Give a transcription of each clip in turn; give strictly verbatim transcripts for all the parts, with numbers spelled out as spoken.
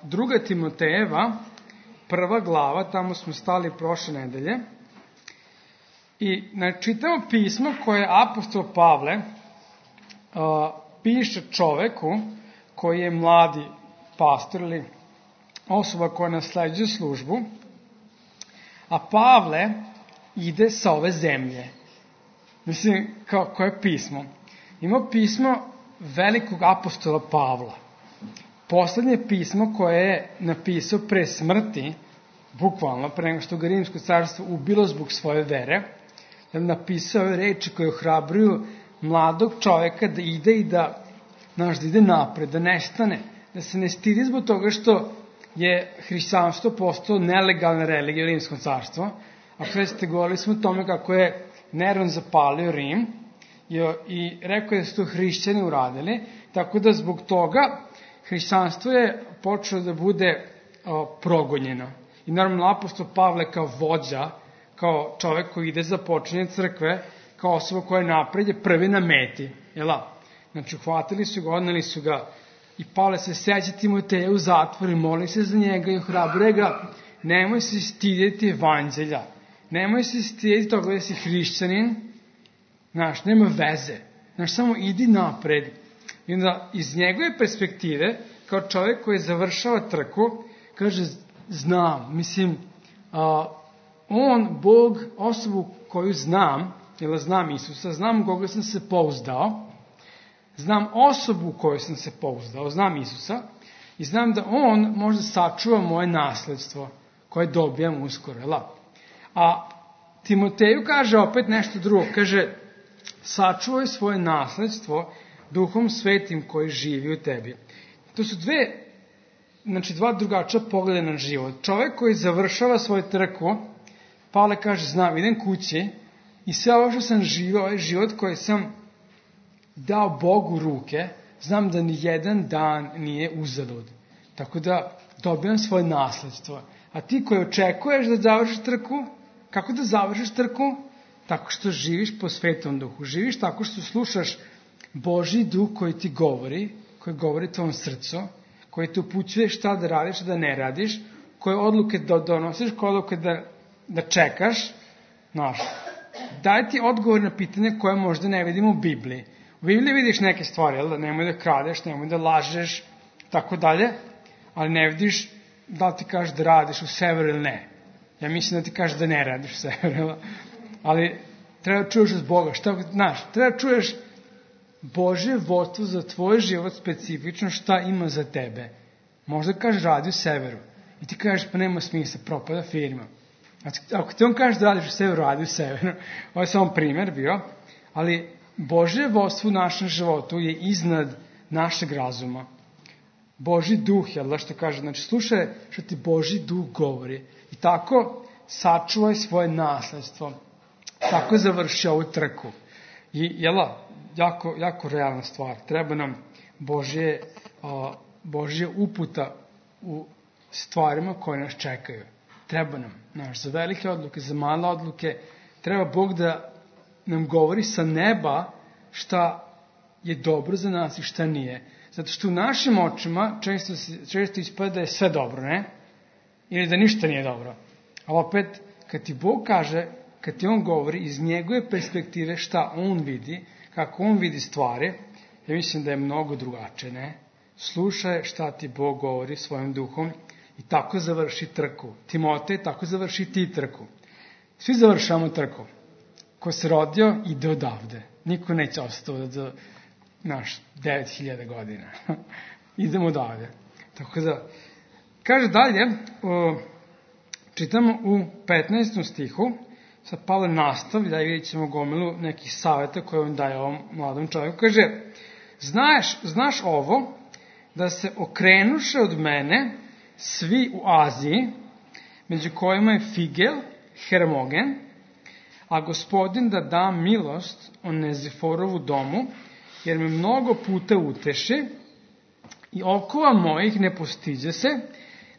druga Timotejeva, prva glava, tamo smo stali prošle nedelje. I čitamo pismo koje apostol Pavle piše čoveku koji je mladi pastor ili osoba koja nasleđuje službu, a Pavle ide sa ove zemlje. Mislim, kao koje pismo? Ima pismo velikog apostola Pavla. Poslednje pismo koje je napisao pre smrti, bukvalno, pre nego što ga Rimsko carstvo ubilo zbog svoje vere, je napisao ove reči koje ohrabruju mladog čoveka da ide i da, znaš, da ide napred, da nestane, da se ne stidi zbog toga što je hrišćanstvo postalo nelegalna religija u Rimskom carstvu. A pre ste govorili smo o tome kako je Neron zapalio Rim i rekao je da su to hrišćani uradili, tako da zbog toga hrišćanstvo je počelo da bude o, progonjeno. I normalno apostol Pavle kao vođa, kao čovek koji ide za počinje crkve, kao osoba koja je napred, je prvi na meti. Jela? Znači, uhvatili su ga, odneli su ga i Pavle se seća Timoteja u zatvor i moli se za njega i ohrabruje ga. Nemoj se stidjeti evanđelja. Nemoj se stidjeti toga da si hrišćanin. Znaš, nema veze. Znaš, samo idi napred. I onda iz njegove perspektive, kao čovjek koji završava trku, kaže, znam, mislim, a, on, Bog, osobu koju znam, jer znam Isusa, znam koga sam se pouzdao, znam osobu u kojoj sam se pouzdao, znam Isusa, i znam da on možda sačuva moje nasledstvo koje dobijam uskoro. Jela? A Timoteju kaže opet nešto drugo, kaže, sačuvaj svoje nasledstvo Duhom Svetim koji živi u tebi. To su dve, znači dva drugačija pogleda na život. Čovjek koji završava svoju trku, Pavle kaže, znam, idem kući i sve ovo što sam živio, ovaj život koji sam dao Bogu u ruke, znam da ni jedan dan nije uzalud. Tako da dobijam svoje nasledstvo. A ti koji očekuješ da završiš trku, kako da završiš trku? Tako što živiš po Svetom Duhu. Živiš tako što slušaš Božji Duh koji ti govori, koji govori tvojom srcu, koji te upućuje šta da radiš, šta da ne radiš, koje odluke da donosiš, koje odluke da, da čekaš. Znaš, daj ti odgovor na pitanje koje možda ne vidimo u Bibliji. U Bibliji vidiš neke stvari, jel da nemoj da kradeš, nemoj da lažeš, tako dalje, ali ne vidiš da li ti kažeš da radiš u severu ili ne. Ja mislim da ti kažeš da ne radiš u severu, ali treba da čuješ od Boga. Šta, znaš, treba da čuješ Božje vodstvo za tvoj život specifično, šta ima za tebe. Možda kažeš radi u severu i ti kažeš pa nema smisla, propada firma. Znači, ako ti on kažeš da radiš u severu, radi u severu. Ovo je samo primer bio, ali Božje vodstvo u našem životu je iznad našeg razuma. Božji duh, jel da što kaže, znači slušaj što ti Božji duh govori. I tako sačuvaj svoje nasledstvo. Tako završi ovu trku. I jela, jako, jako realna stvar. Treba nam Božje, a, Božje uputa u stvarima koje nas čekaju. Treba nam, znaš, za velike odluke, za male odluke, treba Bog da nam govori sa neba šta je dobro za nas i šta nije. Zato što u našim očima često, često ispada da je sve dobro, ne? Ili da ništa nije dobro. Ali opet, kad ti Bog kaže, kad ti on govori iz njegove perspektive šta on vidi, kako on vidi stvari, ja mislim da je mnogo drugačije, ne? Slušaj šta ti Bog govori svojim duhom i tako završi trku. Timotej, tako završi ti trku. Svi završamo trku. Ko se rodio, ide odavde. Niko neće ostati do naš devet hiljada godina. Idemo odavde. Tako da, kaže dalje, o, čitamo u petnaestom stihu, sad Pavle nastavlja i vidjet ćemo gomilu nekih savjeta koje on daje ovom mladom čovjeku. Kaže, znaš, znaš ovo, da se okrenuše od mene svi u Aziji, među kojima je Figel, Hermogen, a Gospodin da da milost o Neziforovu domu, jer me mnogo puta uteši i okova mojih ne postiđe se,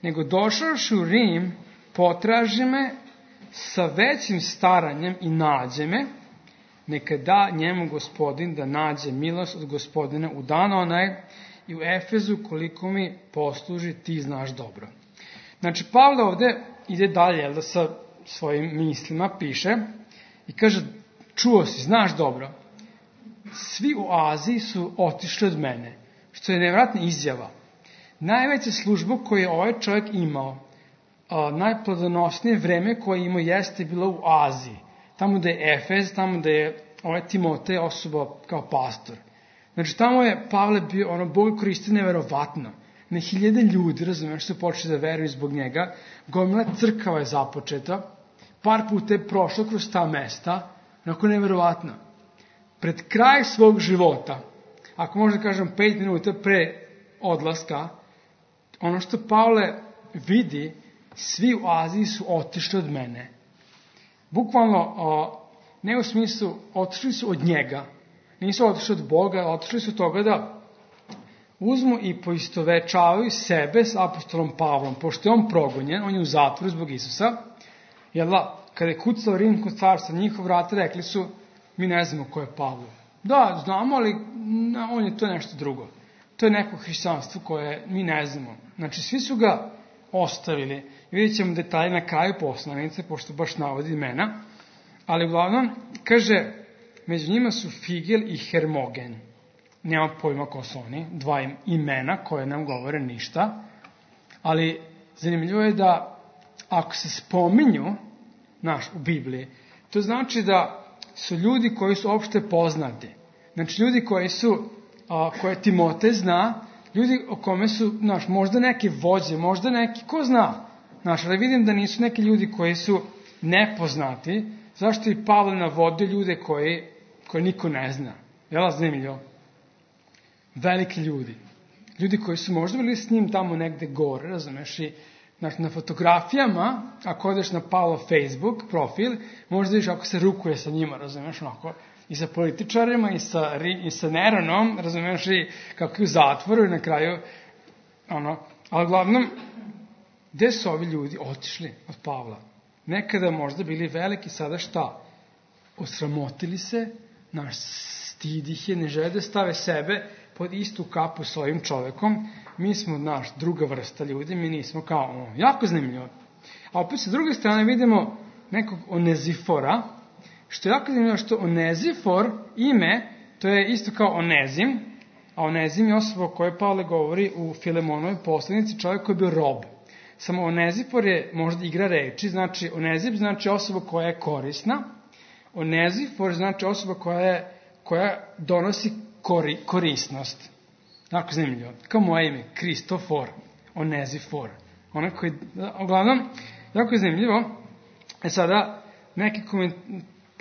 nego došavši u Rim, potraži me sa većim staranjem i nađe me, neka da njemu Gospodin da nađe milost od Gospodina u dan onaj, i u Efezu koliko mi posluži, ti znaš dobro. Znači, Pavle ovde ide dalje, jel da sa svojim mislima piše i kaže, čuo si, znaš dobro, svi u Aziji su otišli od mene, što je nevjerojatna izjava. Najveća služba koju je ovaj čovjek imao, a, najplodonosnije vreme koje je imao jeste bilo u Aziji, tamo da je Efez, tamo da je ovaj Timotej osoba kao pastor. Znači, tamo je Pavle bio, ono, Bog koristio neverovatno. Na hiljade ljudi, razumiješ, su počeli da veruju zbog njega. Gomila crkava je započeta. Par puta je prošlo kroz ta mesta. Onako neverovatno. Pred kraj svog života, ako možda kažem pet minuta pre odlaska, ono što Pavle vidi, svi u Aziji su otišli od mene. Bukvalno, o, ne u smislu, otišli su od njega. Nisu otišli od Boga, otišli su od toga da uzmu i poistovečavaju sebe s apostolom Pavlom, pošto je on progonjen, on je u zatvoru zbog Isusa, jer da, kada je kucao Rimsko carstvo, njihov vrata rekli su, mi ne znamo ko je Pavle. Da, znamo, ali no, on je to nešto drugo. To je neko hrišćanstvo koje mi ne znamo. Znači, svi su ga ostavili. Vidjet ćemo detalje na kraju poslanice, pošto baš navodi imena, ali uglavnom, kaže, među njima su Figel i Hermogen. Nema pojma ko su oni, dva imena koje nam govore ništa, ali zanimljivo je da ako se spominju, naš, u Bibliji, to znači da su ljudi koji su opšte poznati. Znači, ljudi koji su, a, koje Timotej zna, ljudi o kome su, znaš, možda neki vođe, možda neki, ko zna, znaš, ali vidim da nisu neki ljudi koji su nepoznati, zašto i Pavle navodi ljude koji, koji niko ne zna. Jel' zanimljivo? Veliki ljudi. Ljudi koji su možda bili s njim tamo negde gore, razumeš, i znači, na fotografijama, ako odeš na Pavlov Facebook profil, možda vidiš ako se rukuje sa njima, razumeš, onako, i sa političarima, i sa, i sa Neronom, razumeš, i kako je u zatvoru i na kraju, ono, ali uglavnom, gde su ovi ljudi otišli od Pavla? Nekada možda bili veliki, sada šta? Osramotili se, naš stid ih je, ne žele da stave sebe pod istu kapu s ovim čovekom. Mi smo, naš, druga vrsta ljudi, mi nismo kao ono, jako zanimljivo. A opet sa druge strane vidimo nekog Onezifora, što je jako zanimljivo što Onezifor, ime, to je isto kao Onezim, a Onezim je osoba o kojoj Pavle govori u Filemonovoj poslanici, čovjek koji je bio rob. Samo Onezifor je možda igra reči, znači Onezim znači osoba koja je korisna, Onezifor znači osoba koja, je, koja donosi kori, korisnost. Jako zanimljivo. Kao moje ime, Kristofor, Onezifor. Onaj koji, uglavnom, jako je zanimljivo. E sada, neki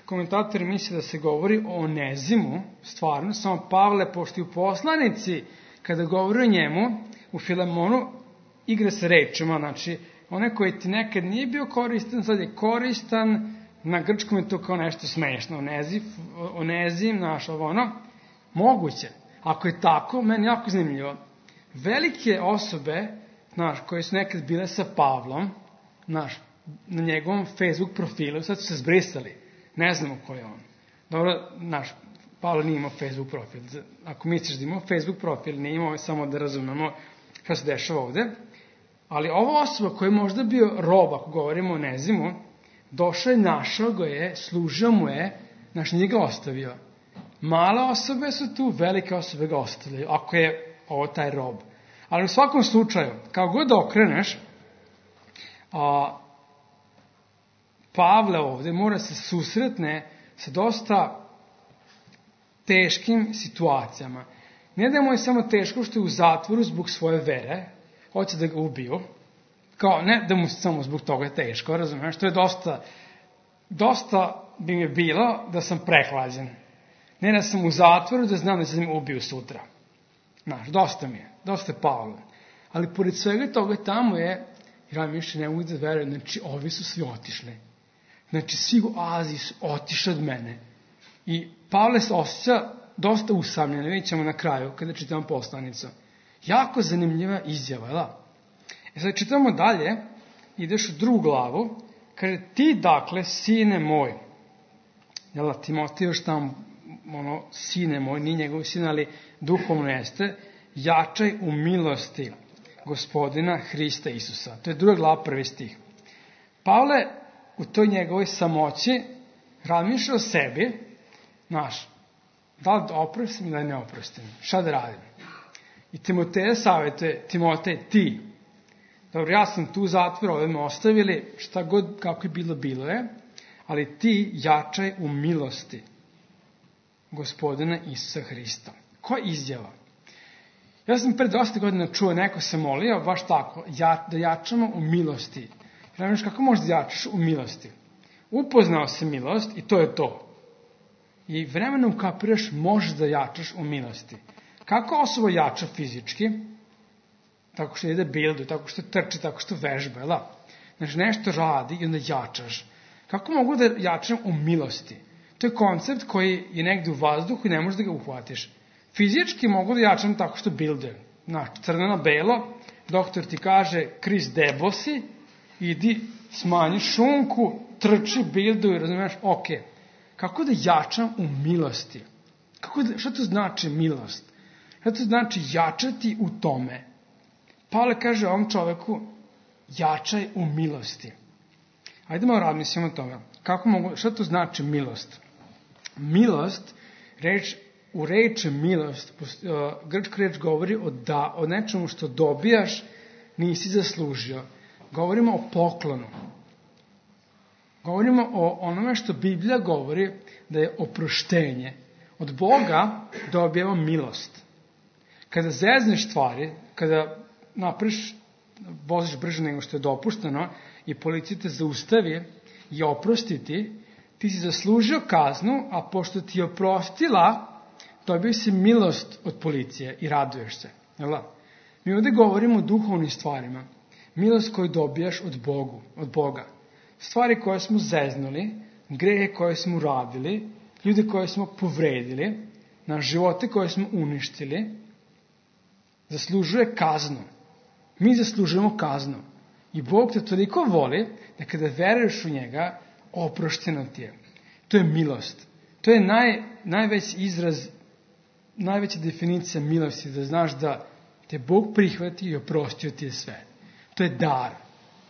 komentatori misle da se govori o Onezimu, stvarno, samo Pavle, pošto u poslanici, kada govori o njemu, u Filemonu, igra se rečima, znači, onaj koji ti nekad nije bio koristan, sad je koristan, na grčkom je to kao nešto smešno, Onezif, Onezim, naš, ovo ono, moguće. Ako je tako, meni jako zanimljivo. Velike osobe, znaš, koje su nekad bile sa Pavlom, znaš, na njegovom Facebook profilu, sad su se zbrisali. Ne znamo ko je on. Dobro, znaš, Pavle nije imao Facebook profil. Ako misliš da imao Facebook profil, nije imao, samo da razumemo šta se dešava ovde. Ali ova osoba koja je možda bio rob, ako govorimo o Nezimu, došao je, našao ga je, služio mu je, znaš, nije ga ostavio. Male osobe su tu, velike osobe ga ostavljaju, ako je ovo taj rob. Ali u svakom slučaju, kao god da okreneš, a, Pavle ovde mora se susretne sa dosta teškim situacijama. Ne da mu je samo teško što je u zatvoru zbog svoje vere, hoće da ga ubiju, kao ne da mu samo zbog toga je teško, razumiješ, to je dosta, dosta bi mi bilo da sam prehlađen. Ne da sam u zatvoru, da znam da se mi ubiju sutra. Znaš, dosta mi je, dosta je Pavle. Ali pored svega toga tamo je, ja više ne mogu da verujem, znači ovi su svi otišli. Znači svi u Aziji su otišli od mene. I Pavle se osjeća dosta usamljen, vidjet ćemo na kraju, kada čitamo poslanicu. Jako zanimljiva izjava, da? E sad čitamo dalje, ideš u drugu glavu, kaže, ti dakle, sine moj, jel da, Timotej još tamo, ono, sine moj, nije njegov sin, ali duhovno jeste, jačaj u milosti Gospodina Hrista Isusa. To je druga glava, prvi stih. Pavle u toj njegovoj samoći razmišlja o sebi, znaš, da li da oprostim ili da ne oprostim, šta da radim. I Timoteja savjetuje, Timotej, ti, dobro, ja sam tu u zatvoru, ove me ostavili, šta god, kako je bilo, bilo je, ali ti jačaj u milosti Gospodina Isusa Hrista. Koja izjava? Ja sam pre dosta godina čuo, neko se molio, baš tako, ja, da jačamo u milosti. Znaš, kako možeš da jačaš u milosti? Upoznao se milost i to je to. I vremenom ukapiraš, možeš da jačaš u milosti. Kako osoba jača fizički? Tako što ide bildu, tako što trči, tako što vežba, jel da? Znači, nešto radi i onda jačaš. Kako mogu da jačam u milosti? To je koncept koji je negde u vazduhu i ne možeš da ga uhvatiš. Fizički mogu da jačam tako što bilde. Znači, crno na belo, doktor ti kaže, Kris debosi, idi, smanji šunku, trči, bildu i razumiješ, ok. Kako da jačam u milosti? Kako da, šta to znači milost? Šta to znači jačati u tome? Pavle kaže ovom čoveku, jačaj u milosti. Ajde malo razmislimo o tome. Kako mogu, šta to znači milost? Milost, reč, u reči milost, uh, grčka reč govori o, da, o nečemu što dobijaš nisi zaslužio. Govorimo o poklonu. Govorimo o onome što Biblija govori da je oproštenje. Od Boga dobijamo milost. Kada zezneš stvari, kada napriš, voziš brže nego što je dopušteno i policija te zaustavi i oprosti ti, ti si zaslužio kaznu, a pošto ti je oprostila, dobio si milost od policije i raduješ se. Jel? Mi ovdje govorimo o duhovnim stvarima. Milost koju dobijaš od Bogu, od Boga. Stvari koje smo zeznuli, grehe koje smo uradili, ljude koje smo povredili, na živote koje smo uništili, zaslužuje kaznu. Mi zaslužujemo kaznu. I Bog te toliko voli da kada veruješ u njega, oprošteno ti je. To je milost. To je naj, najveći izraz, najveća definicija milosti, da znaš da te Bog prihvati i oprostio ti je sve. To je dar.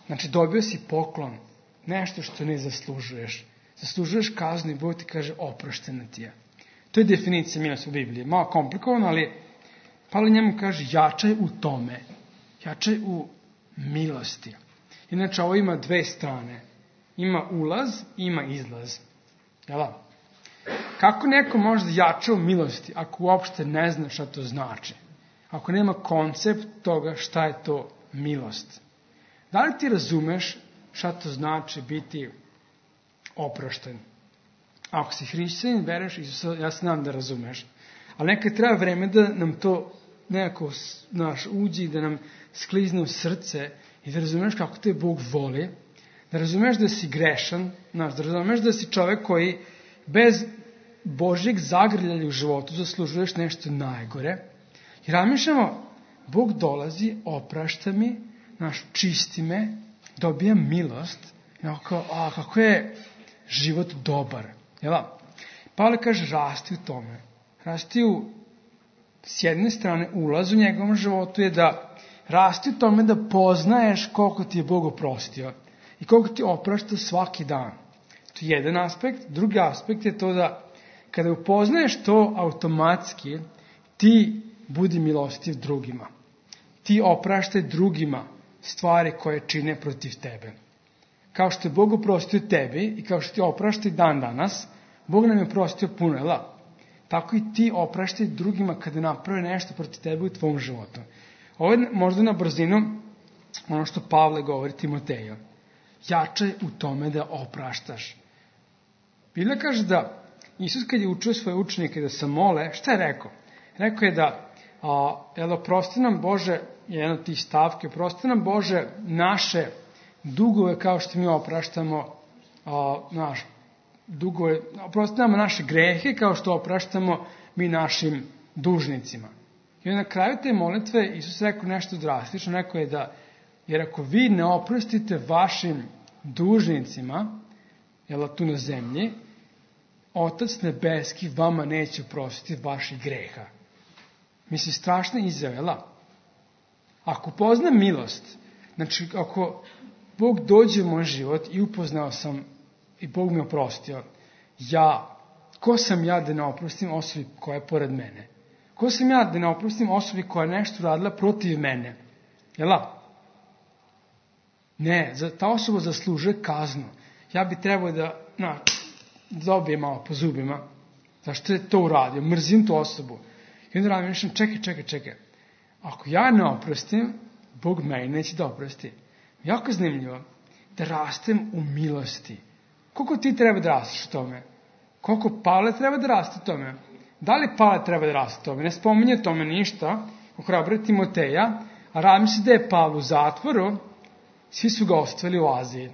Znači, dobio si poklon, nešto što ne zaslužuješ. Zaslužuješ kaznu i Bog ti kaže oprošteno ti je. To je definicija milosti u Bibliji. Malo komplikovano, ali Pavle njemu kaže jačaj u tome. Jačaj u milosti. Inače, ovo ima dve strane. Ima ulaz i ima izlaz. Jel' da? Kako neko može da jača u milosti ako uopšte ne zna šta to znači? Ako nema koncept toga šta je to milost? Da li ti razumeš šta to znači biti oprošten? Ako si hrišćanin, veruješ Isusa, ja se nadam da razumeš. Ali nekad treba vreme da nam to nekako naš uđi i da nam sklizne u srce i da razumeš kako te Bog voli, da razumeš da si grešan, da razumeš da si čovek koji bez Božjeg zagrljanja u životu zaslužuješ nešto najgore. I razmišljamo, Bog dolazi, oprašta mi, naš čisti me, dobijam milost, i onako, a kako je život dobar. Jel? Pavle kaže, rasti u tome. Rasti u, s jedne strane, ulaz u njegovom životu je da rasti u tome da poznaješ koliko ti je Bog oprostio i koliko ti oprašta svaki dan. To je jedan aspekt. Drugi aspekt je to da kada upoznaješ to automatski, ti budi milostiv drugima. Ti opraštaj drugima stvari koje čine protiv tebe. Kao što je Bog oprostio tebi i kao što ti opraštaj dan danas, Bog nam je oprostio puno, jel? Tako i ti opraštaj drugima kada naprave nešto protiv tebe u tvom životu. Ovo je možda na brzinu ono što Pavle govori Timoteju. Jačaj u tome da opraštaš. Biblija kaže da Isus kad je učio svoje učenike da se mole, šta je rekao? Rekao je da, a, jel, oprosti nam Bože, je jedna od tih stavke, oprosti nam Bože naše dugove kao što mi opraštamo a, naš dugove, oprosti nam naše grehe kao što opraštamo mi našim dužnicima. I na kraju te molitve Isus rekao nešto drastično, rekao je da, jer ako vi ne oprostite vašim dužnicima, jel, tu na zemlji, Otac nebeski vama neće oprostiti vaših greha. Mislim, strašna izjava. Ako poznam milost, znači ako Bog dođe u moj život i upoznao sam i Bog mi oprostio, ja, ko sam ja da ne oprostim osobi koja je pored mene? Ko sam ja da ne oprostim osobi koja je nešto radila protiv mene? Jel' Ne, ta osoba zaslužuje kaznu. Ja bi trebao da, na, dobije malo po zubima. Zašto je to uradio? Mrzim tu osobu. I onda radim, čekaj, čekaj, čekaj. Ako ja ne oprostim, Bog meni neće da oprosti. Jako zanimljivo da rastem u milosti. Koliko ti treba da rasteš u tome? Koliko Pavle treba da raste u tome? Da li Pavle treba da raste u tome? Ne spominje tome ništa. Ohrabruje Timoteja, a radim se da je Pavle u zatvoru, svi su ga ostavili u Aziji.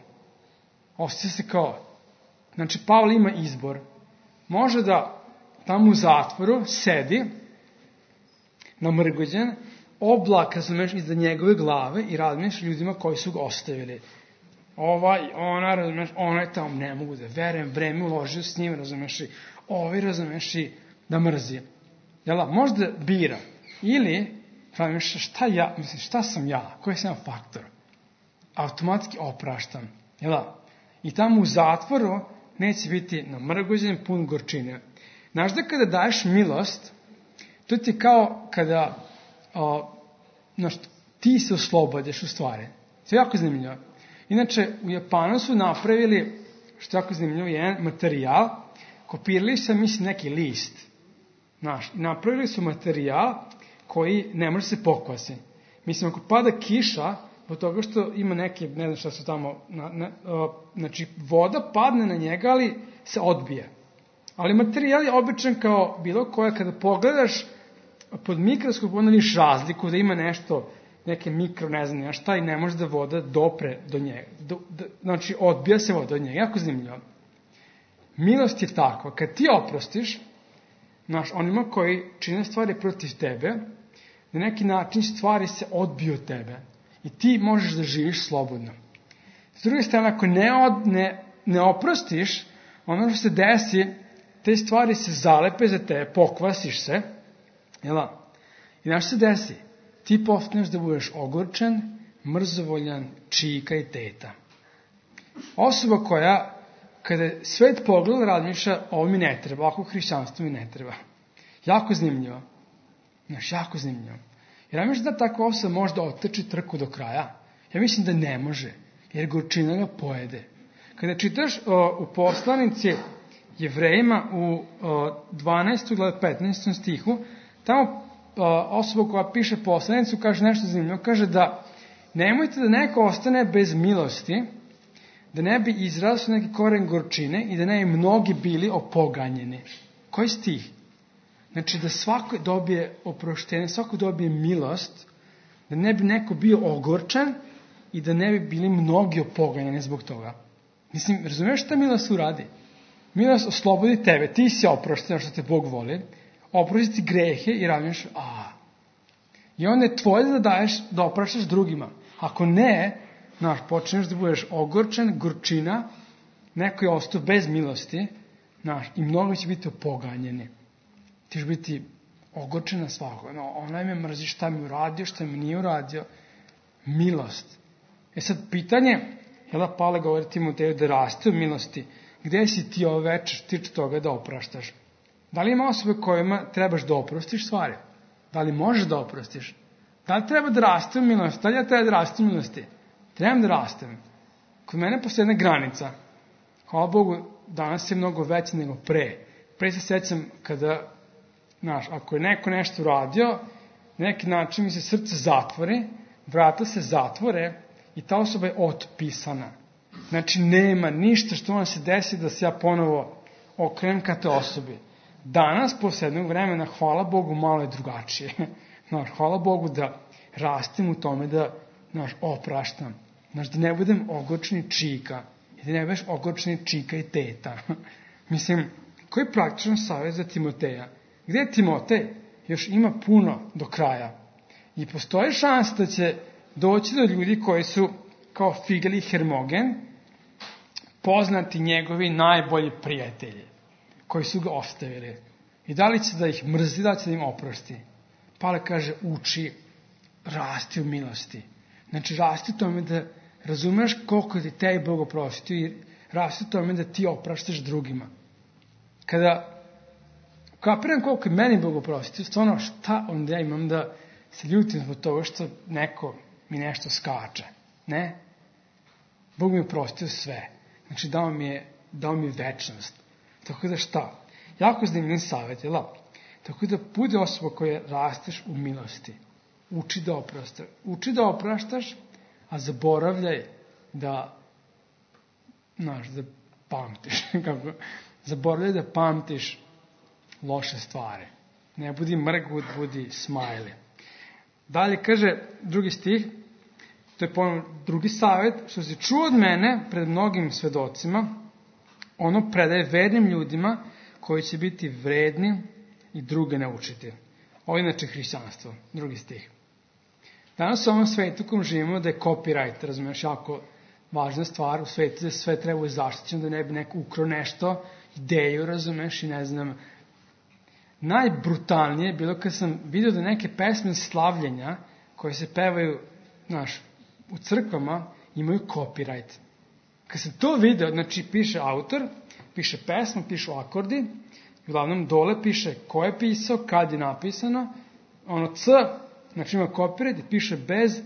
Ostaje se kao, znači Pavle ima izbor. Može da tamo u zatvoru sedi, namrgođen, oblak, razumeš, iza njegove glave i razmišljaš ljudima koji su ga ostavili. Ovaj, ona, razumeš, ona je tamo, ne mogu da verujem, vreme uložio s njim, razumeš, i ovi, razumeš, i da mrzi. Jel' možda bira. Ili, razumeš, šta ja, mislim, šta sam ja, koji sam faktor? Automatski opraštam. Jel' I tamo u zatvoru neće biti namrgođen, pun gorčine. Znaš da kada daješ milost, to ti kao kada o, znaš, ti se oslobodiš u stvari. To je jako zanimljivo. Inače, u Japanu su napravili, što je jako zanimljivo, jedan materijal, kopirali su, mislim, neki list. Znaš, napravili su materijal koji ne može se pokvasiti. Mislim, ako pada kiša, od toga što ima neke, ne znam šta su tamo, na, na, o, znači, voda padne na njega, ali se odbije. Ali materijal je običan kao bilo koja, kada pogledaš pod mikroskop, onda vidiš razliku da ima nešto, neke mikro, ne znam, ja šta, i ne može da voda dopre do njega. Do, do, znači, odbija se voda od njega. Jako zanimljivo. Milost je takva. Kad ti oprostiš, znaš, onima koji čine stvari protiv tebe, na neki način stvari se odbiju od tebe. I ti možeš da živiš slobodno. S druge strane, ako ne, od, ne, ne oprostiš, ono što se desi, te stvari se zalepe za tebe, pokvasiš se, jel' I znaš se desi? Ti postaneš da budeš ogorčen, mrzovoljan, čika i teta. Osoba koja, kada svet pogleda, razmišlja, ovo mi ne treba, ovako hrišćanstvo mi ne treba. Jako zanimljivo. Znaš, jako zanimljivo. Jer ja mislim da takva osoba može da otrči trku do kraja. Ja mislim da ne može, jer gorčina ga pojede. Kada čitaš o, u poslanici Jevrejima u o, dvanaestom glava petnaestom stihu, tamo o, osoba koja piše poslanicu kaže nešto zanimljivo, kaže da nemojte da neko ostane bez milosti, da ne bi izrasao neki koren gorčine i da ne bi mnogi bili opoganjeni. Koji stih? Znači da svako dobije oproštenje, svako dobije milost, da ne bi neko bio ogorčan i da ne bi bili mnogi opoganjeni zbog toga. Mislim, razumiješ šta milost uradi? Milost oslobodi tebe, ti si oprošten što te Bog voli, oprosti grehe i radiš, a. I onda je tvoje da daješ, da opraštaš drugima. Ako ne, znaš, počneš da budeš ogorčen, gorčina, neko je ostao bez milosti, znaš, i mnogo će biti opoganjeni. Ti ćeš biti ogorčen na svakog. No, onaj me mrzi, šta mi uradio, šta mi nije uradio. Milost. E sad, pitanje, jel' Pavle govori Timoteju da raste u milosti, gde si ti ove večer tiče toga da opraštaš? Da li ima osobe kojima trebaš da oprostiš stvari? Da li možeš da oprostiš? Da li treba da raste u milosti? Da li ja treba da raste u milosti? Trebam da rastem. Kod mene postoji jedna granica. Hvala Bogu, danas je mnogo veće nego pre. Pre se sećam kada, znaš, ako je neko nešto uradio, na neki način mi se srce zatvori, vrata se zatvore i ta osoba je otpisana. Znači, nema ništa što vam se desi da se ja ponovo okrenem ka te osobi. Danas, posle jednog vremena, hvala Bogu, malo je drugačije. Znaš, hvala Bogu da rastem u tome da, znaš, opraštam. Znaš, da ne budem ogorčeni čika. I da ne budeš ogorčeni čika i teta. Mislim, koji je praktičan savjet za Timoteja? Gde je Timotej? Još ima puno do kraja. I postoji šansa da će doći do ljudi koji su kao Figel i Hermogen, poznati njegovi najbolji prijatelji, koji su ga ostavili. I da li će da ih mrzi, da li će da im oprosti? Pavle kaže, uči, rasti u milosti. Znači, rasti u tome da razumeš koliko ti tebi Bog oprostio i rasti u tome da ti opraštaš drugima. Kada kapiram koliko je meni Bog oprostio, stvarno šta onda ja imam da se ljutim zbog toga što neko mi nešto skače. Ne? Bog mi je oprostio sve. Znači, dao mi je, dao mi je večnost. Tako da šta? Jako zanimljiv savjet, jel? Tako da bude osoba koja rasteš u milosti. Uči da opraštaš. Uči da opraštaš, a zaboravljaj da, znaš, da pamtiš. Kako? Zaboravljaj da pamtiš loše stvari. Ne budi mrgut, budi smajli. Dalje kaže drugi stih, to je ponovno drugi savjet, što si čuo od mene pred mnogim svedocima, ono predaje vernim ljudima koji će biti vredni i druge naučiti. Ovo je inače hrišćanstvo, drugi stih. Danas u ovom svetu u kojem živimo da je copyright, razumiješ, jako važna stvar u svetu, da sve treba zaštićeno, da ne bi neko ukrao nešto, ideju, razumiješ, i ne znam. Najbrutalnije je bilo kad sam vidio da neke pesme slavljenja koje se pevaju, znaš, u crkvama imaju copyright. Kad sam to video, znači piše autor, piše pesma, pišu akordi, uglavnom dole piše ko je pisao, kad je napisano, ono C, znači ima copyright i piše bez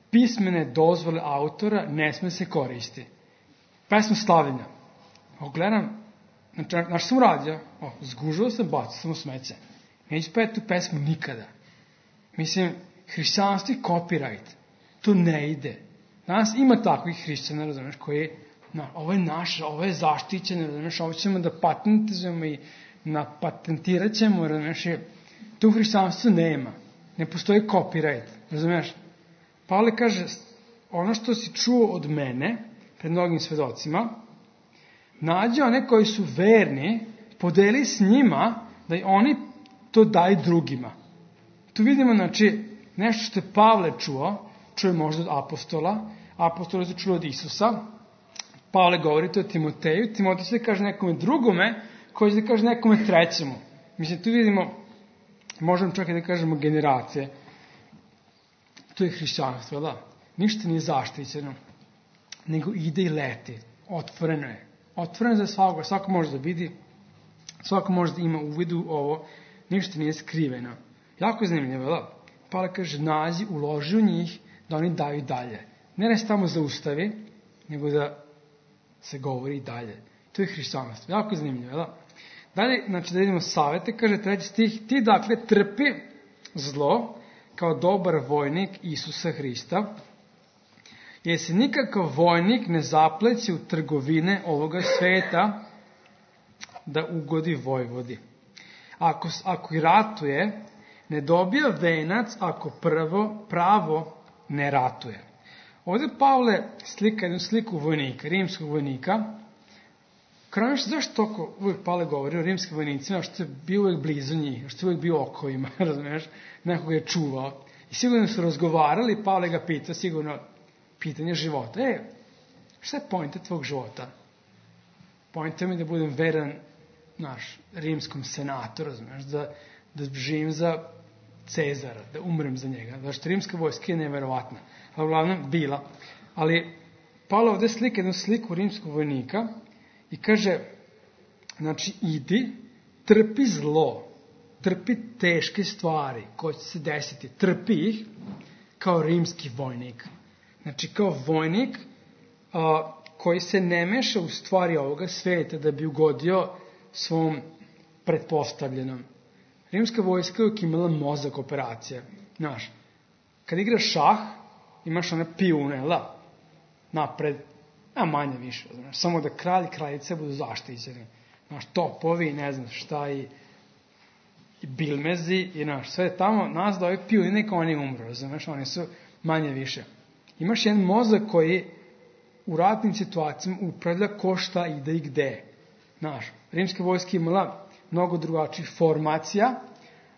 pismene dozvole autora ne sme se koristi. Pesma slavljenja. Ogledam, znači, znaš sam uradio, o, zgužao sam, bacio sam u smeće. Neću peti tu pesmu nikada. Mislim, hrišćanstvo je copyright. To ne ide. Danas ima takvih hrišćana, razumeš, koji, no, ovo je naše, ovo je zaštićeno, razumeš, ovo ćemo da patentizujemo i napatentirat ćemo, razumeš, to u hrišćanstvu nema. Ne postoji copyright, razumeš. Pavle kaže, ono što si čuo od mene, pred mnogim svedocima, nađi one koji su verni, podeli s njima, da i oni to daju drugima. Tu vidimo, znači, nešto što je Pavle čuo, čuje možda od apostola, apostola su čuli od Isusa, Pavle govori to o Timoteju, Timotej se kaže nekome drugome, koji se kaže nekome trećemu. Mislim, tu vidimo, možemo čak i da kažemo generacije. To je hrišćanstvo, da? Ništa nije zaštićeno, nego ide i leti. Otvoreno je. Otvoreno za svakoga, svako može da vidi, svako može da ima uvidu ovo, ništa nije skriveno. Jako je zanimljivo, da? Pavle kaže, nađi, uloži u njih, da oni daju dalje. Ne ne samo zaustavi, nego da se govori i dalje. To je hrišćanstvo. Jako je zanimljivo, da? Dalje, znači da vidimo savete, kaže treći stih, ti dakle trpi zlo kao dobar vojnik Isusa Hrista, jer se nikakav vojnik ne zapleći u trgovine ovoga sveta da ugodi vojvodi. Ako, ako i ratuje, ne dobija venac ako prvo pravo ne ratuje. Ovdje Pavle slika jednu sliku vojnika, rimskog vojnika. Krajno što, zašto toliko uvijek Pavle govori o rimskim vojnicima, što je bio uvijek blizu njih, što je uvijek bio oko ima, razumiješ, nekoga je čuvao. I sigurno su razgovarali, Pavle ga pita, sigurno pitanje života. E, šta je pojenta tvog života? Pojenta mi da budem veran naš rimskom senatu, razumiješ, da, da živim za Cezara, da umrem za njega. Zašto rimska vojska je neverovatna. A uglavnom bila. Ali Pavle ovdje slika jednu sliku rimskog vojnika i kaže, znači, idi, trpi zlo, trpi teške stvari koje će se desiti, trpi ih kao rimski vojnik. Znači, kao vojnik a, koji se ne meša u stvari ovoga sveta da bi ugodio svom pretpostavljenom. Rimska vojska je uvijek imala mozak operacije. Znaš, kad igraš šah, imaš one pijune, la, napred, a manje više, znaš, samo da kralj i kraljice budu zaštićeni. Znaš, topovi, ne znam šta, i, i bilmezi, i znaš, sve tamo, nas da ovi pijuni, neka oni umru, znaš, oni su manje više. Imaš jedan mozak koji u ratnim situacijama upravlja ko šta ide i gde. Znaš, rimska vojska imala mnogo drugačijih formacija,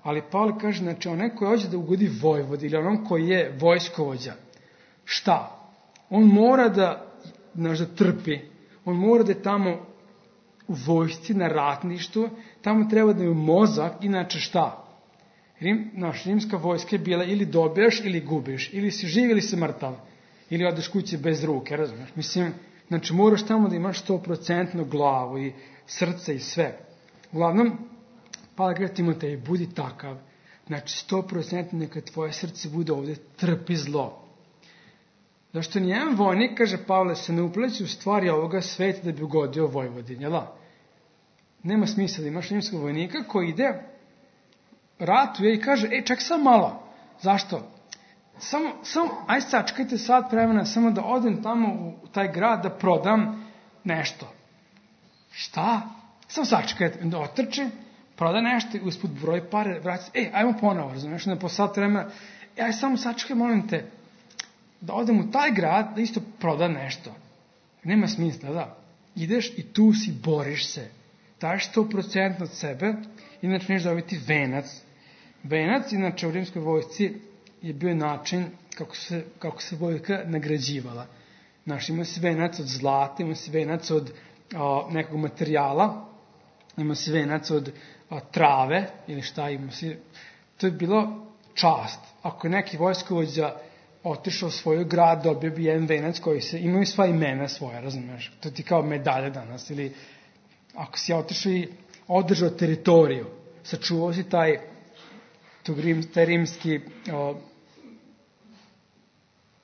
ali Pavle kaže, znači, onaj koji hoće da ugodi vojvodi ili onom koji je vojskovođa, šta? On mora da, znaš, da trpi, on mora da je tamo u vojsci, na ratništvu, tamo treba da je mozak, inače šta? Rim, naš, rimska vojska je bila ili dobijaš ili gubiš, ili si živ ili si mrtav, ili odeš kući bez ruke, razumiješ? Mislim, znači moraš tamo da imaš sto procentno glavu i srce i sve. Uglavnom, Pavle kaže Timoteju, budi takav, znači sto procentno neka tvoje srce bude ovde, trpi zlo. Zašto nijedan vojnik, kaže Pavle, se ne upleće u stvari ovoga sveta da bi ugodio Vojvodini, jel' nema smisla da imaš rimskog vojnika koji ide, ratuje i kaže, ej, čak sam malo. Zašto? Samo, samo, aj sačekajte sat vremena, samo da odem tamo u taj grad da prodam nešto. Šta? Samo sačekajte, da otrči, proda nešto i usput broj pare, vrati se, ej, ajmo ponovo, razumiješ, na po sat vremena, ej, aj samo sačekaj, molim te, da odem u taj grad da isto proda nešto. Nema smisla, da. Ideš i tu si, boriš se. Daješ sto procentno od sebe, inače neš dobiti venac. Venac, inače u rimskoj vojsci, je bio način kako se, kako se vojska nagrađivala. Znaš, ima se venac od zlata, ima se venac od a, nekog materijala, ima se venac od a, trave, ili šta ima se. To je bilo čast. Ako je neki vojskovođa otišao u svoj grad, dobio bi jedan venac koji se, imaju sva imena svoja, razumiješ? To ti kao medalja danas, ili ako si otišao i održao teritoriju, sačuvao si taj, taj rimski, o,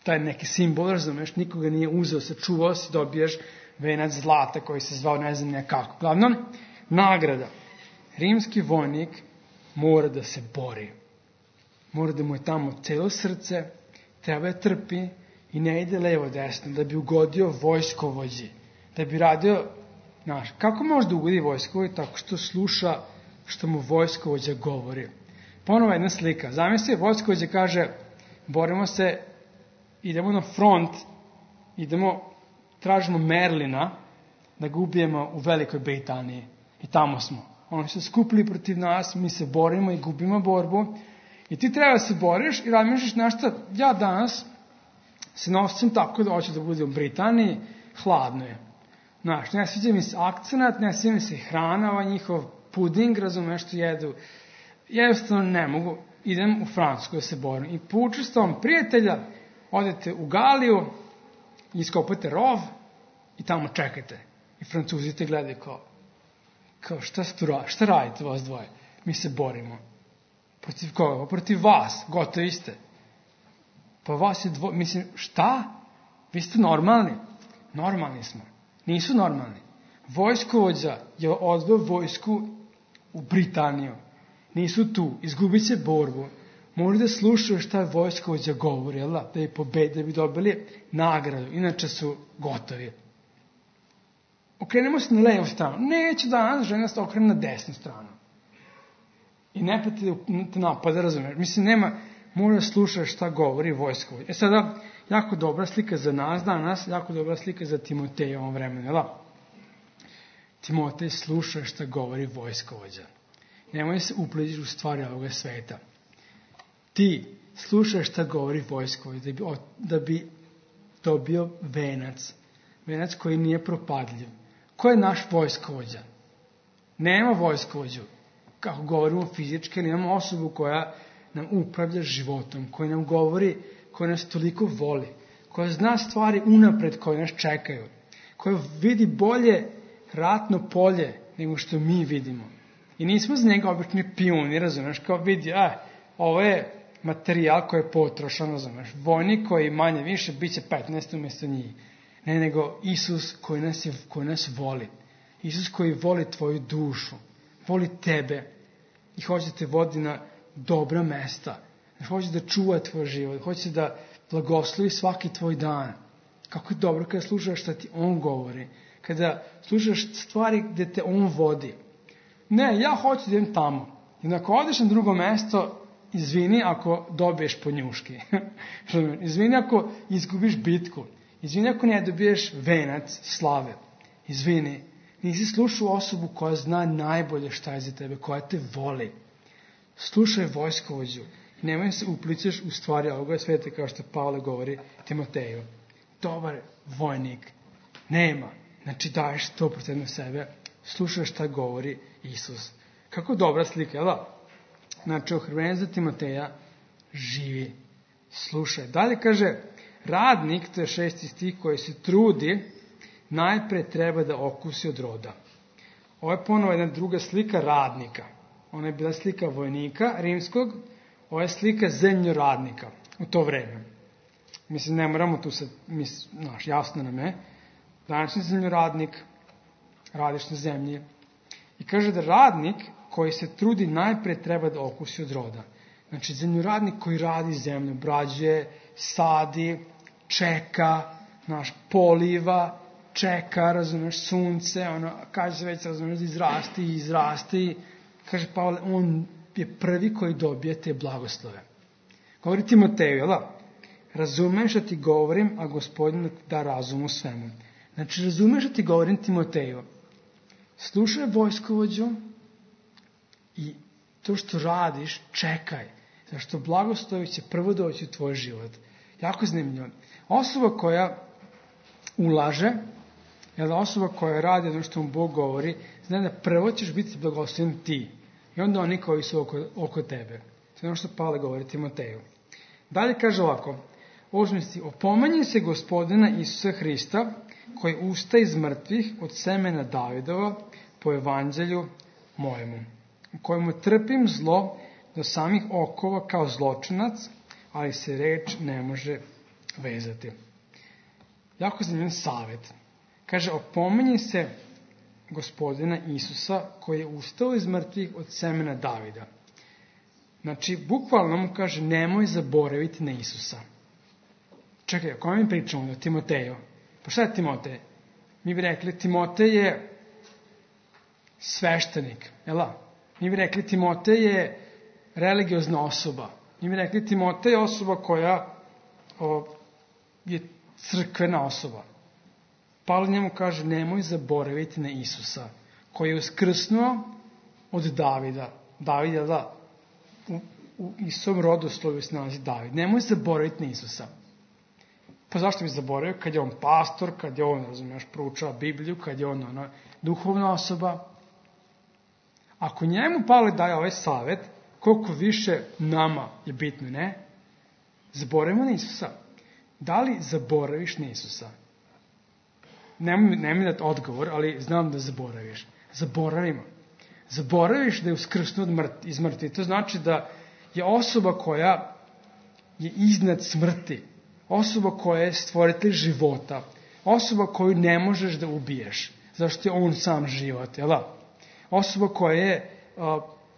taj neki simbol, razumiješ, nikoga nije uzeo, sačuvao si, dobiješ venac zlata koji se zvao ne znam nekako. Glavnom, nagrada. Rimski vojnik mora da se bori. Mora da mu je tamo celo srce, treba je trpi i ne ide levo desno, da bi ugodio vojskovođi, da bi radio, znaš, kako može da ugodi vojskovođi? Tako što sluša što mu vojskovođa govori. Ponovo jedna slika. Zamisli, vojskovođa kaže, borimo se, idemo na front, idemo, tražimo Merlina, da ga ubijemo u Velikoj Britaniji. I tamo smo. Oni su skupili protiv nas, mi se borimo i gubimo borbu. I ti treba da se boriš i razmišljaš nešto, ja danas se nosim tako da hoću da budem u Britaniji, hladno je. Znaš, ne sviđa mi se akcenat, ne sviđa mi se hrana, ovaj njihov puding, razumeš što jedu. Jednostavno ne mogu, idem u Francusku da se borim. I po učestvom prijatelja odete u Galiju, iskopate rov i tamo čekate. I Francuzi te gledaju kao, kao šta, stura, šta radite vas dvoje? Mi se borimo. Protiv koga? Protiv vas. Gotovi ste. Pa vas je dvoje. Mislim, šta? Vi ste normalni? Normalni smo. Nisu normalni. Vojskovođa je odveo vojsku u Britaniju. Nisu tu. Izgubit će borbu. Moraju da slušaju šta vojskovođa govori, jel da? Da je pobedi, da bi dobili nagradu. Inače su gotovi. Okrenemo se na levu stranu. Neće danas žena se okrene na desnu stranu. I ne pa te napada, razumiješ. Mislim, nema, mora da slušaš šta govori vojskovođa. E sada, jako dobra slika za nas danas, jako dobra slika za Timoteja u ovom vremenu, jel da? Timotej, sluša šta govori vojskovođa. Nemoj se upleđiš u stvari ovoga sveta. Ti slušaš šta govori vojskovođa, da bi, da bi dobio venac. Venac koji nije propadljiv. Ko je naš vojskovođa? Nema vojskovođu. Kako govorimo fizički, ali imamo osobu koja nam upravlja životom, koja nam govori, koja nas toliko voli, koja zna stvari unapred koje nas čekaju, koja vidi bolje ratno polje nego što mi vidimo. I nismo za njega obični pijuni, razumeš, kao vidi, a, ovo je materijal koji je potrošan, razumeš, vojnik koji manje više bit će petnaest umjesto njih. Ne, nego Isus koji nas, je, koji nas voli. Isus koji voli tvoju dušu, voli tebe i hoće da te vodi na dobra mesta. Hoće da čuva tvoj život, hoće da blagoslovi svaki tvoj dan. Kako je dobro kada slušaš šta ti on govori, kada slušaš stvari gde te on vodi. Ne, ja hoću da idem tamo. I ako odeš na drugo mesto, izvini ako dobiješ po njuški. Izvini ako izgubiš bitku. Izvini ako ne dobiješ venac slave. Izvini, nisi slušao osobu koja zna najbolje šta je za tebe, koja te voli. Slušaj vojskovođu. Nemoj se uplicaš u stvari ovoga sveta, kao što Pavle govori Timoteju. Dobar vojnik nema. Znači daješ sto procent sebe, slušaš šta govori Isus. Kako dobra slika, jel da? Znači, ohrabrenje za Timoteja, živi, slušaj. Dalje kaže, radnik, to je šesti stih, koji se trudi, najpre treba da okusi od roda. Ovo je ponovo jedna druga slika radnika. Ona je bila slika vojnika rimskog, ovo je slika zemljoradnika u to vreme. Mislim, ne moramo tu sad, mislim, znaš, jasno nam je, današnji zemljoradnik, radiš na zemlji. I kaže da radnik koji se trudi najpre treba da okusi od roda. Znači, zemljoradnik koji radi zemlju, obrađuje, sadi, čeka, znaš, poliva, čeka, razumeš, sunce, ono, kaže se već, razumeš, izrasti, izrasti. Kaže Pavle, on je prvi koji dobije te blagoslove. Govori Timoteju, jel da? Razumeš da ti govorim, a Gospodin da razum u svemu. Znači, razumeš da ti govorim Timoteju. Slušaj vojskovođu i to što radiš, čekaj. Zašto blagoslovi će prvo doći u tvoj život. Jako zanimljivo. Osoba koja ulaže, jel, osoba koja radi ono što mu Bog govori, zna da prvo ćeš biti blagosloven ti. I onda oni koji su oko, oko tebe. To je ono što Pavle govori Timoteju. Dalje kaže ovako, osmi opominje se Gospodina Isusa Hrista, koji usta iz mrtvih od semena Davidova po evanđelju mojemu, u kojemu trpim zlo do samih okova kao zločinac, ali se reč ne može vezati. Jako zanimljiv savjet. Kaže, opominje se Gospodina Isusa koji je ustao iz mrtvih od semena Davida. Znači, bukvalno mu kaže, nemoj zaboraviti na Isusa. Čekaj, o kome mi pričamo? O Timoteju. Pa šta je Timotej? Mi bi rekli, Timotej je sveštenik. Jel' Mi bi rekli, Timotej je religiozna osoba. Mi bi rekli, Timotej je osoba koja o, je crkvena osoba. Pavle njemu kaže, nemoj zaboraviti na Isusa, koji je uskrsnuo od Davida. David je da u, u Isusom rodoslovu se nalazi David. Nemoj zaboraviti na Isusa. Pa zašto bi zaboravio? Kad je on pastor, kad je on, razumiješ, proučava Bibliju, kad je on ona, duhovna osoba. Ako njemu Pavle daje ovaj savjet, koliko više nama je bitno, ne? Zaboravimo na Isusa. Da li zaboraviš na Isusa? Nemoj, nemoj dati odgovor, ali znam da zaboraviš. Zaboravimo. Zaboraviš da je uskrsnuo iz mrtvi. To znači da je osoba koja je iznad smrti. Osoba koja je stvoritelj života. Osoba koju ne možeš da ubiješ. Zašto je on sam život, jel da? Osoba koja je,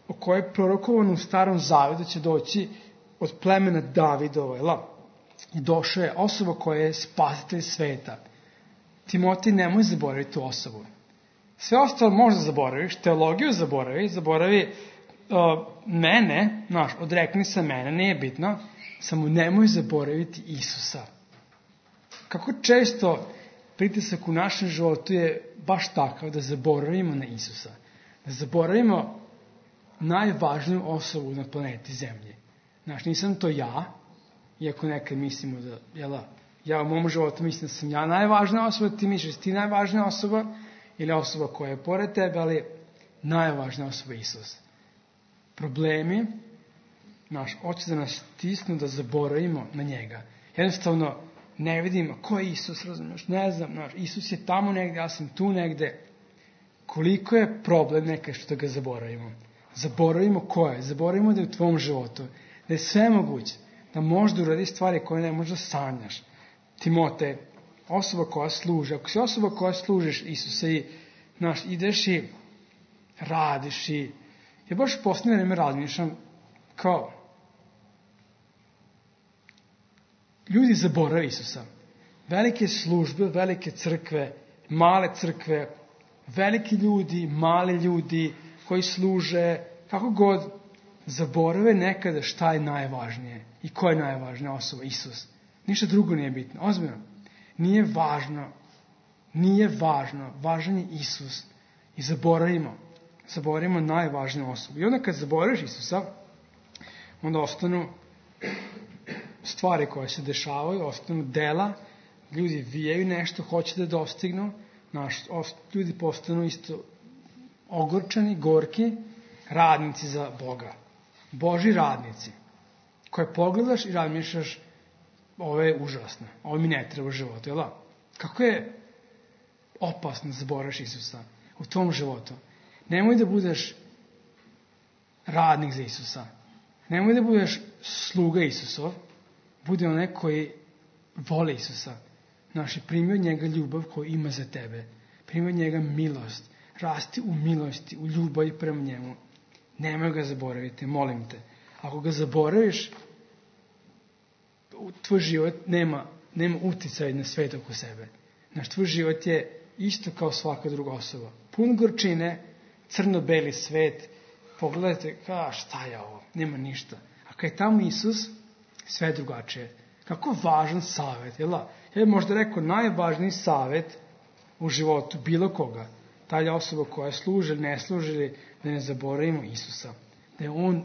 o kojoj je prorokovano u Starom Zavetu da će doći od plemena Davidova, jel da? I došao je osoba koja je spasitelj sveta. Timotej, nemoj zaboraviti tu osobu. Sve ostalo možda zaboraviš, teologiju zaboravi, zaboravi uh, mene, znaš, odrekni se mene, nije bitno, samo nemoj zaboraviti Isusa. Kako često pritisak u našem životu je baš takav da zaboravimo na Isusa. Da zaboravimo najvažniju osobu na planeti Zemlji. Znaš, nisam to ja, iako nekad mislimo da, jel, ja u mom životu mislim da sam ja najvažnija osoba, ti misliš da ti najvažnija osoba, ili osoba koja je pored tebe, ali najvažnija osoba je Isus. Problemi, naš, hoće da nas stisnu da zaboravimo na njega. Jednostavno, ne vidimo ko je Isus, razumiješ, ne znam, naš, Isus je tamo negde, ja sam tu negde. Koliko je problem nekaj što ga zaboravimo? Zaboravimo ko je, zaboravimo da je u tvom životu, da je sve moguće, da možda uradi stvari koje ne možda sanjaš. Timotej, osoba koja služi, ako si osoba koja služiš Isusa i, znaš, ideš i radiš i, ja baš posljednje vreme razmišljam kao, ljudi zaborave Isusa. Velike službe, velike crkve, male crkve, veliki ljudi, mali ljudi koji služe, kako god, zaborave nekada šta je najvažnije i ko je najvažnija osoba, Isus. Ništa drugo nije bitno. Ozbiljno. Nije važno. Nije važno. Važan je Isus. I zaboravimo. Zaboravimo najvažniju osobu. I onda kad zaboraviš Isusa, onda ostanu stvari koje se dešavaju, ostanu dela, ljudi vijaju nešto, hoće da dostignu, naš, ljudi postanu isto ogorčani, gorki, radnici za Boga. Boži radnici, koje pogledaš i razmišljaš, ovo je užasno, ovo mi ne treba u životu, jel da? Kako je opasno da zaboraviš Isusa u tvom životu. Nemoj da budeš radnik za Isusa. Nemoj da budeš sluga Isusov. Budi onaj koji voli Isusa. Znaš, primi od njega ljubav koju ima za tebe. Primi od njega milost. Rasti u milosti, u ljubavi prema njemu. Nemoj ga zaboraviti, molim te. Ako ga zaboraviš, tvoj život nema, nema uticaj na svet oko sebe. Znaš, tvoj život je isto kao svaka druga osoba. Pun gorčine, crno-beli svet. Pogledajte, ka, šta je ovo? Nema ništa. A kad je tamo Isus, sve je drugačije. Kako važan savjet, jel da? Ja bih možda rekao najvažniji savjet u životu bilo koga. Ta osoba koja služi ili ne služi, da ne zaboravimo Isusa. Da je On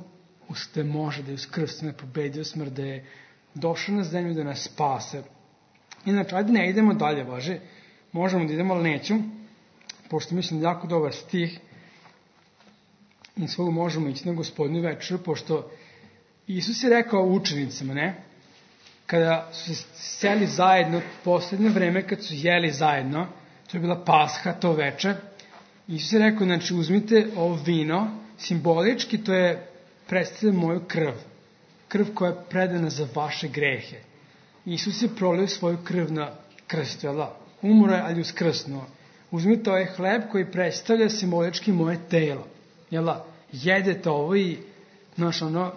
da može, da je uskrsno, da je pobedio smrt, da je došao na zemlju da nas spase. Inače, ajde ne idemo dalje, važe. Možemo da idemo, ali neću. Pošto mislim da je jako dobar stih. I svoga možemo ići na Gospodnju večeru, pošto Isus je rekao učenicima, ne? Kada su se seli zajedno, poslednje vreme kad su jeli zajedno, to je bila Pasha, to veče, Isus je rekao, znači uzmite ovo vino, simbolički to je predstavlja moju krv, krv koja je predana za vaše grehe. Isus je prolio svoju krv na krstu, jel da? Umro je, ali uskrsnuo. Uzmite ovaj hleb koji predstavlja simbolički moje telo, jel da? Jedete ovo i, znaš, ono,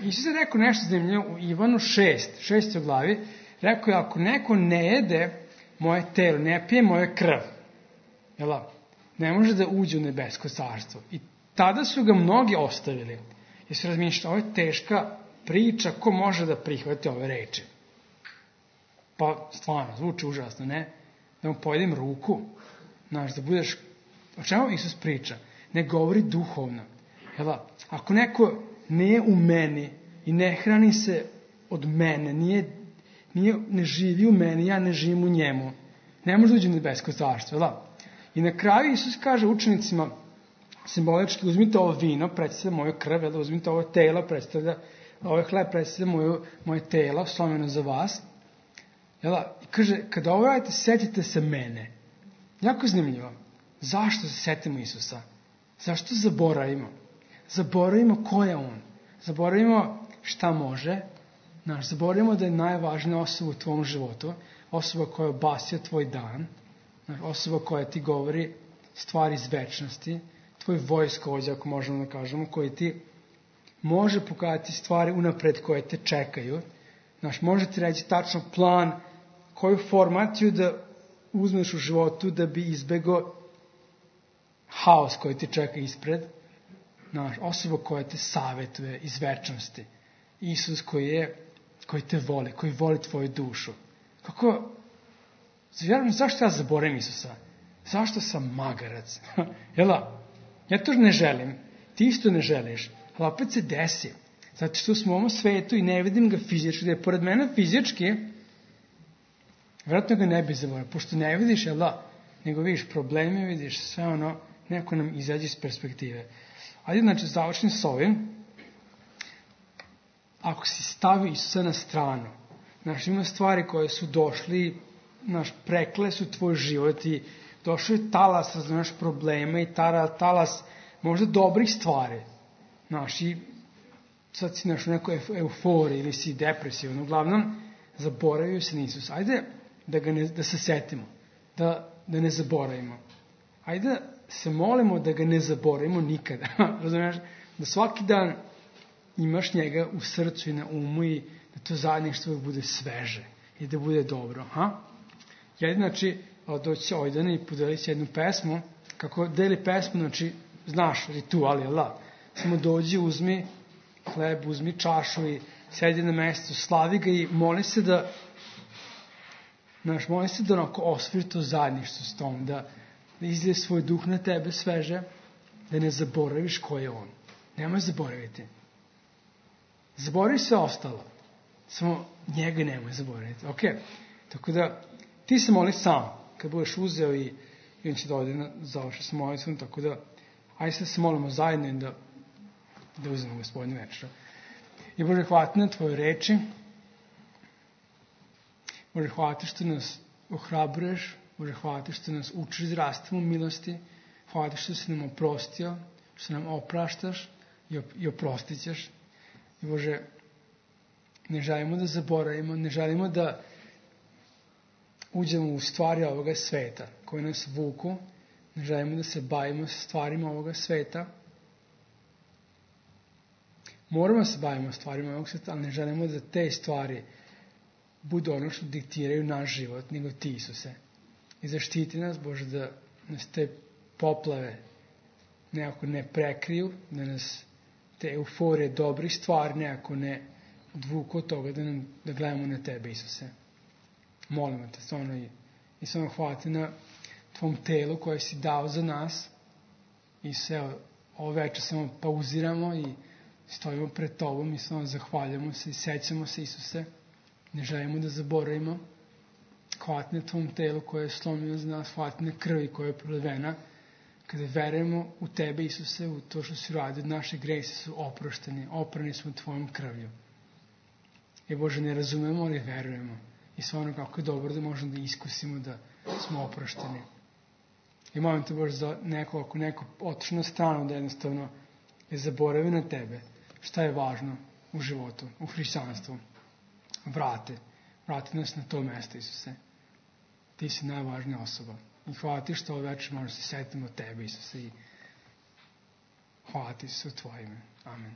Isus je rekao nešto zanimljivo u Ivanu šest, šestoj glavi, rekao je, ako neko ne jede moje telo, ne pije moje krv, jel da? Ne može da uđe u nebesko carstvo. I tada su ga mnogi ostavili. Jer su razmišljali, ovo je teška priča, ko može da prihvati ove reči? Pa stvarno, zvuči užasno, ne? Da mu pojedem ruku, znaš, da budeš... O čemu Isus priča? Ne govori duhovno. Jel da? Ako neko nije u meni i ne hrani se od mene, nije, nije, ne živi u meni, ja ne živim u njemu, ne može da uđe u nebesko carstvo, jel da? I na kraju Isus kaže učenicima, simbolički, uzmite ovo vino, predstavlja moju krv, jel da? Uzmite ovo telo, predstavlja, ovaj hleb predstavlja moju, moje telo, slomljeno za vas. Jel da? I kaže, kada ovo radite, setite se mene. Jako zanimljivo. Zašto se setimo Isusa? Zašto zaboravimo? Zaboravimo ko je On. Zaboravimo šta može. Znaš, zaboravimo da je najvažnija osoba u tvom životu. Osoba koja obasja tvoj dan. Znaš, osoba koja ti govori stvari iz večnosti. Tvoj vojskovođa, ako možemo da kažemo, koji ti može pokazati stvari unapred koje te čekaju. Znaš, može ti reći tačno plan, koju formaciju da uzmeš u životu da bi izbegao haos koji te čeka ispred. Znaš, osoba koja te savjetuje iz večnosti. Isus koji je, koji te voli, koji voli tvoju dušu. Kako, zašto ja zaboravim Isusa? Zašto sam magarac? Jel da? Ja to ne želim. Ti isto ne želiš. Ali opet se desi. Zato što smo u ovom svetu i ne vidim ga fizički. Da je pored mene fizički, vjerojatno ga ne bi zaboravio. Pošto ne vidiš, jel da? Nego vidiš probleme, vidiš sve ono, neko nam izađe iz perspektive. Ajde, znači, završim s ovim. Ako si stavio Isusa na stranu, znaš, ima stvari koje su došli, znaš, prekle su tvoj život i došao je talas, razumiješ, problema i talas možda dobrih stvari. Znaš, i sad si naš u nekoj euforiji ili si depresivan. Uglavnom, zaboravio se na Isusa. Ajde da, ga ne, da se setimo, da, da ne zaboravimo. Ajde da se molimo da ga ne zaboravimo nikada. Razumiješ? Da svaki dan imaš njega u srcu i na umu i da to zajedništvo bude sveže i da bude dobro. Ha? Ja, znači, doći će Ojdana i podeliti jednu pesmu. Kako deli pesmu, znači, znaš ritual, jel da? Samo dođi, uzmi hleb, uzmi čašu i sedi na mestu, slavi ga i moli se da, znaš, moli se da onako osviri to zajedništvo s tom, da, da izlije svoj duh na tebe sveže, da ne zaboraviš ko je On. Nemoj zaboraviti. Zaboravi sve ostalo. Samo njega nemoj zaboraviti. Ok? Tako da, ti se moli sam, kad budeš uzeo i, i on će da ode na završi sa molicom, tako da, ajde sad se molimo zajedno i da da uzmemo Gospodinu večeru. I Bože, hvala ti na Tvoje reči. Bože, hvala ti što nas ohrabruješ. Bože, hvala ti što nas učiš da rastemo u milosti. Hvala ti što si nam oprostio, što nam opraštaš i, op i oprostit ćeš. I Bože, ne želimo da zaboravimo, ne želimo da uđemo u stvari ovoga sveta koje nas vuku. Ne želimo da se bavimo stvarima ovoga sveta. Moramo se bavimo stvarima ovog sveta, ali ne želimo da te stvari budu ono što diktiraju naš život, nego ti, Isuse. I zaštiti nas, Bože, da nas te poplave nekako ne prekriju, da nas te euforije dobrih stvari nekako ne odvuku od toga da, nam, da gledamo na Tebe, Isuse. Molimo te stvarno i, i stvarno hvala ti na Tvom telu koje si dao za nas. I sve ovo večer samo pauziramo i stojimo pred Tobom i samo zahvaljamo se i sećamo se, Isuse. Ne želimo da zaboravimo. Hvala ti na Tvom telu koje je slomio za nas, hvala ti na krvi koja je prolivena. Kada verujemo u Tebe, Isuse, u to što si uradio, naše gresi su oprošteni, oprani smo Tvojom krvlju. I Bože, ne razumemo, ali verujemo. I stvarno kako je dobro da možemo da iskusimo da smo oprošteni. I molim te, Bože, za neko, ako neko otišao na stranu, da jednostavno je zaboravio na Tebe, šta je važno u životu, u hrišćanstvu. Vrate, vrati nas na to mesto, Isuse. Ti si najvažnija osoba. I hvala ti što ovo večer možemo se setiti o Tebe, Isuse. I hvala ti, Isuse, u Tvoje ime. Amen.